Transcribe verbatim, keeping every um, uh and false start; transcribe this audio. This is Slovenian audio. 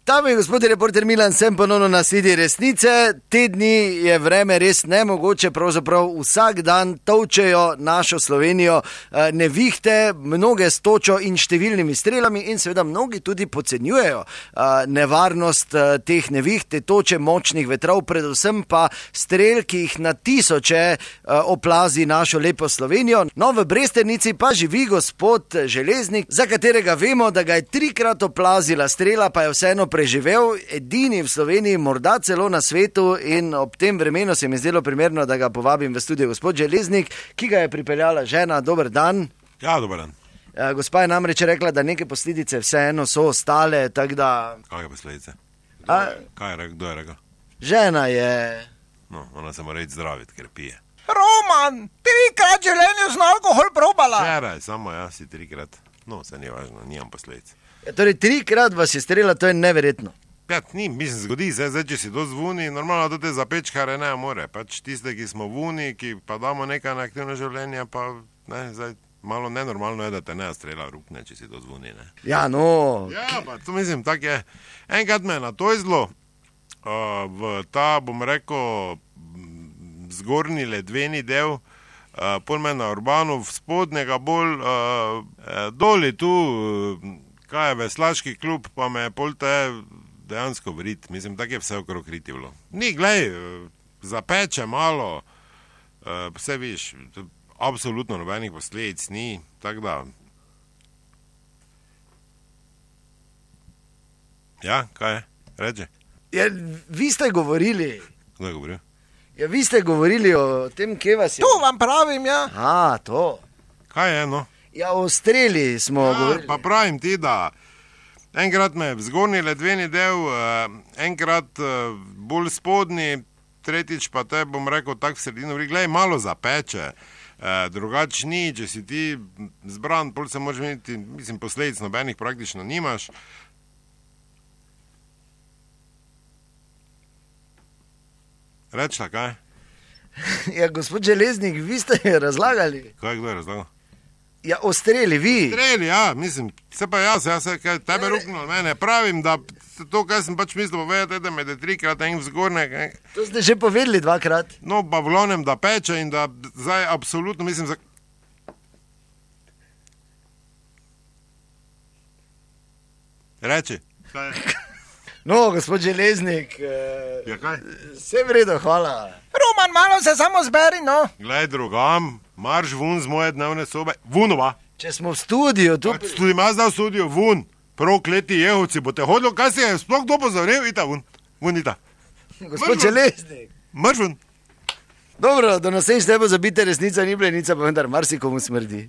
Tam je gospod reporter Milan, sem ponovno na sledi resnice. Te dni je vreme res nemogoče, pravzaprav vsak dan tolčejo našo Slovenijo nevihte, mnoge s točo in številnimi strelami in seveda mnogi tudi podcenjujejo nevarnost teh neviht, te toče, močnih vetrov, predvsem pa strel, ki jih na tisoče oplazi našo lepo Slovenijo. No, v Brestenici pa živi gospod Železnik, za katerega vemo, da ga je trikrat oplazila strela, pa je vseeno preživel, edini v Sloveniji, morda celo na svetu, in ob tem vremenu se mi je zdelo primerno, da ga povabim v studio. Gospod Železnik, ki ga je pripeljala žena, dober dan. Ja, dober dan. Gospa je namreč rekla, da neke posledice vseeno so ostale, tako da... Kakve posledice? A... Kaj je rekel, kdo je rekel? Žena je... No, ona se mora iti zdraviti, ker pije. Roman, trikrat življenju z alkohol probala. Včeraj, samo jaz si trikrat. No, se ni važno, nimam posledic. Ja, torej, trikrat vas je strela, to je neverjetno. Ja, ni, mislim, zgodi se, zdaj, če si to zvuni, normalno, da te zapečkare ne more. Pač tiste, ki smo vuni, ki pa damo nekaj na aktivno življenje, pa ne, zdaj, malo nenormalno je, da te ne strela rukne, če si to zvuni, ne. Ja, no... Ja, pa to mislim, tak je. Enkrat me je na to izlo, uh, v ta, bom rekel, zgornji ledveni del, uh, pol me na Urbanu, v spodnjega bolj, uh, doli tu, uh, kaj je veslaški klub, pa me je pol te dejansko vrit. Mislim, tako je vse okrog riti bilo. Ni, glej, zapeče malo, vse viš, absolutno nobenih posledic ni, tako da... Ja, kaj je? Reče? Ja, vi ste govorili... Kdo je govoril? Ja, vi ste govorili o tem, kje vas je... Tu vam pravim, ja. A, to... Kaj je, no? Ja, o streli smo ja, govorili. Pa pravim ti, da enkrat me v zgornji ledveni del, enkrat bolj spodnji, tretjič pa te, bom rekel, tak v sredino, glej, malo zapeče, drugač ni, če si ti zbran, pol se moraš imeti, mislim, posledic nobenih praktično nimaš. Rečla, kaj? Ja, gospod Železnik, vi ste razlagali. Kaj, kdo je razlagal? Ja, o streli, vi. Streli, ja, mislim, se pa jaz, jaz se kaj tebe ruknil mene, pravim, da to, kaj sem pač mislil povedati, da me je trikrat en vzgornjak. To ste že povedali dvakrat. No, pa v glavnem, da peče in da zdaj absolutno, mislim, za... Reči. Kaj je? No, gospod Železnik, ja, kaj? Vse v redu, hvala. Roman, malo se samo zberi, no. Glej, drugam, marš vun z moje dnevne sobe. Vunova. Če smo v studiu, tu... Tudi ima zdaj v studiu, vun. Prokleti jehovci, bo te hodilo, kaj si je sploh kdo pozoril, ita vun. Vun ita. Gospod Železnik. Marš vun. Dobro, do naslednjič ne bo zabite, resnica ni blenica, pa vendar marsikomu smrdi.